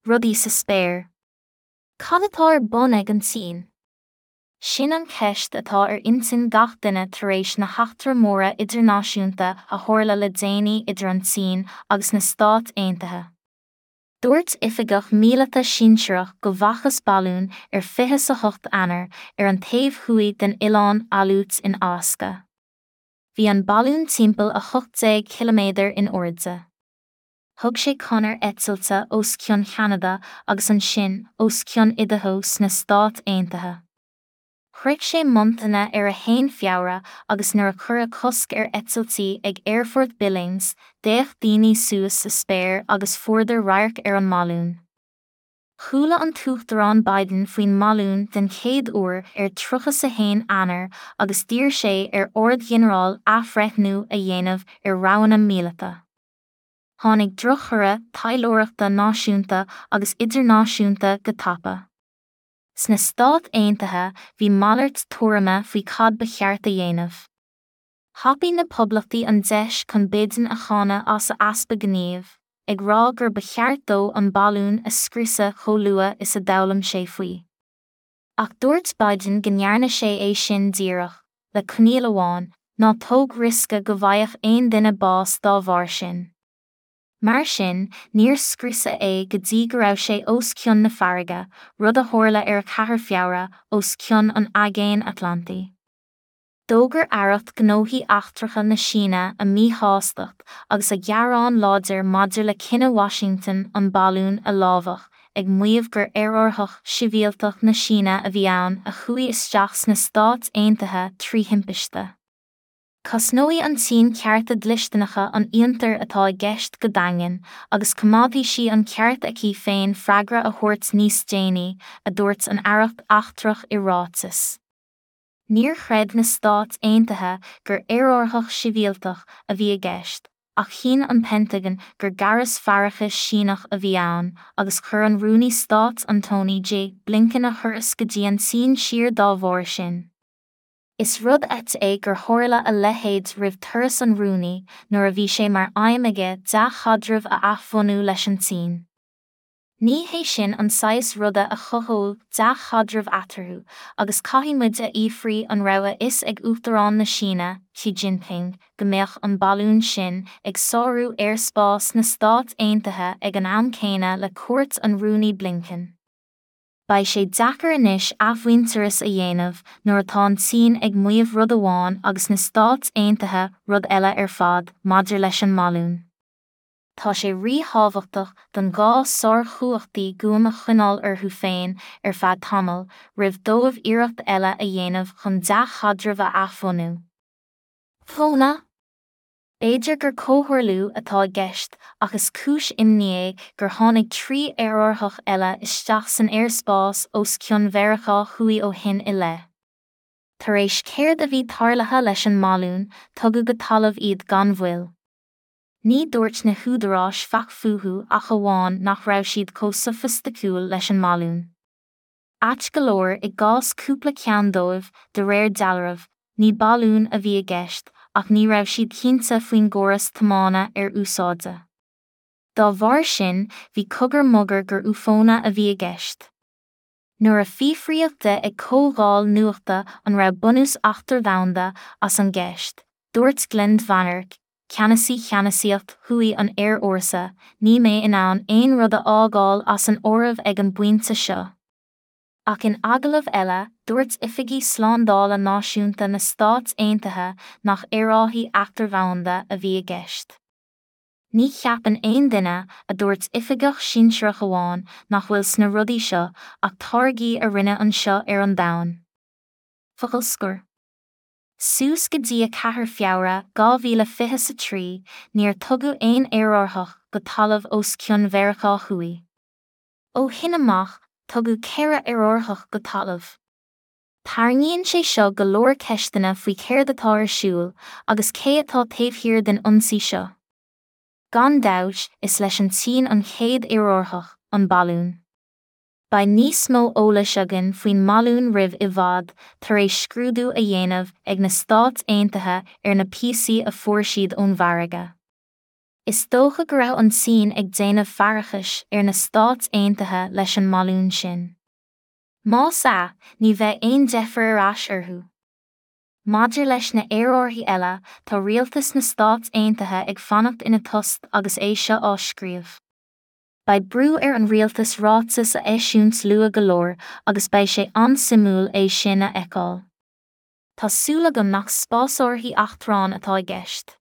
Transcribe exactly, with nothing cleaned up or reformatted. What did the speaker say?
Rudaí sa spéir. Cad atá ar bun ag an tSín? Sin an cheist atá ar intinn gach duine tar éis na heachtra móra idirnáisiúnta a tharla le déanaí idir an tSín agus na Stáit Aontaithe. Dúirt oifigeach míleata sinsearach go bhfacthas balún ar fiche a hocht Eanáir ar an taobh thuaidh den oileán Aleut in Alasca. Bhí an balún timpeall a hocht déag ciliméadar in airde. Thug sé conair eitilte os cionn Cheanada agus ansin os cionn Idaho sna Stáit Aontaithe. Shroich sé Montana ar a haon Feabhra agus nuair a cuireadh cosc ar eitiltí ag Aerfort Billings, d'fhéach daoine suas sa spéir agus fuaireadar radharc ar an mbalún. Chuala an tUachtarán Biden faoin mbalún den chéad uair ar tríocha a haon Eanáir agus d'iarr sé ar Ard-Ghinearál athbhreithniú a dhéanamh ar roghanna míleata. Tháinig drochthoradh taidhleoireachta náisiúnta agus idirnáisiúnta go tapa. Sna Stáit Aontaithe bhí malairt tuairime faoi cad ba cheart a dhéanamh. Thapaigh na poblachtaí an deis chun Biden a cháineadh as a easpa gnímh, ag rá gur ba cheart dó an balún a scriosadh chomh luath is a d'fhoghlaim sé faoi. Ach dúirt Biden go ndearna sé é sin díreach, le coinníoll amháin, ná tóg riosca go bhfaigheadh aon duine bás dá bharr sin. Mar sin, níor scriosadh é go dtí go raibh sé os cionn na farraige, rud a tharla ar a ceathair Feabhra os cionn an Aigéin Atlantaigh. D'fhógair Aireacht Gnóthaí Eachtracha na Síne a míshástacht agus a gearán láidir maidir le cinneadh Washington an balún a lámhach, ag maíomh gur aerárthach sibhialtach na Síne a bhí ann a chuaigh isteach sna Stáit Aontaithe trí thimpiste. Cosnóidh an tSín cearta dlisteanacha an fhiontair atá i gceist go daingean, agus coimeádfaidh sí an ceart aici féin freagra a thabhairt níos déanaí, a dúirt an Aireacht Eachtrach i ráiteas. Níor chreid na Stáit Aontaithe gur aerárthach sibhialtach a bhí i gceist, ach chinn an Pentagon gur gaireas faireachais Síneach a bhí ann, agus chuir an Rúnaí Stáit Antony J. Blinken a thuras go dtí an tSín siar dá bharr sin. Is rud ait é gur tharla a leithéid roimh turas an Rúnaí nuair a bhí sé mar aidhm aige dea-chaidreamh a athbhunú leis an tSín. Ní hé sin an saghas ruda a chothódh dea-chaidreamh eatarthu, agus caithfidh muid a fhiafraí an raibh a fhios ag Uachtarán na Síne, Xi Jinping, go mbeadh an balún sin ag sárú aerspás na Stát Aontaithe ag an am céanna le cuairt an Rúnaí Blinken. Beidh sé deacair anois athmhuintearas a dhéanamh nuair atá an tSín ag maíomh rud amháin agus na Stáit Aontaithe rud eile ar fad maidir leis an mbalún. Tá sé ríthábhachtach don dhá sárchumhachtaí guaim a choinneáil orthu féin ar feadh tamaill roimh dóibh iarracht eile a dhéanamh chun dea-chaidreamh a athbhunú. Fóna? B'fhéidir gur comhtharlú atá i gceist ach is cúis imní é gur tháinig trí aerárthach eile isteach san aerspás os cionn Mheiriceá Thuaidh ó shin i leith. Tar éis céard a bhí tarlaithe leis an mbalún, tugadh go talamh iad gan mhoill. Ní dúirt na húdaráis faic fúthu ach amháin nach raibh siad chomh sofaisticiúil leis an mbalún. Ait go leor i gcás cúpla ceann dóibh, de réir dealraimh, ní balún a bhí i gceist, ach ní raibh siad cinnte faoin gcóras tiomána ar úsáideadh. Dá bharr sin, bhí cogar mogar gur UFOnna a bhí i gceist. Nuair a fiafraíodh de ag comhdháil nuachta an raibh bunús eachtardhomhanda as an gceist, dúirt Glen VanHerck, ceannasaí cheannasaíocht thuaidh an Aerfhórsa, ní mé in ann aon rud a fhágáil as an áireamh ag an bpointe seo. Ach in agallamh eile, dúirt oifigí slándála náisiúnta na Stáit Aontaithe nach aerárthaí eachtardhomhanda a bhí i gceist. Ní cheapann aon duine, a dúirt oifigeach sinsearach amháin, nach bhfuil sna rudaí seo ach táirgí a rinneadh anseo ar an domhan. Focal scoir. Suas go dtí a ceathair Feabhra dhá mhíle fiche a trí, níor tugadh aon aerárthach go talamh os cionn Mheiriceá Thuaidh. Ó shin amach, tugadh ceithre aerárthach go talamh. Tarraingíonn sé seo go leor ceisteanna faoi céard atá ar siúl agus cé atá taobh thiar den ionsaí seo. Gan dabht, is leis an tSín an chéad aerárthach, an balún. Beidh níos mó eolais againn faoin mbalún roimh i bhfad, tar éis scrúdú a dhéanamh ag na Stáit Aontaithe ar na píosaí a fuair siad ón bhfarraige. Is dócha go raibh an tSín ag déanamh faireachais ar na Stáit Aontaithe leis an mbalún sin. Más ea, ní bheidh aon deifir ar ais orthu. Maidir leis na haerárthaí eile, tá rialtas na Stát Aontaithe ag fanacht ina tost agus é seo á scríobh. Beidh brú ar an rialtas ráiteas a eisiúint luath go leor agus beidh sé an-suimiúil é sin a fheiceáil. Tá súil agam nach spásárthaí eachtráin atá i gceist.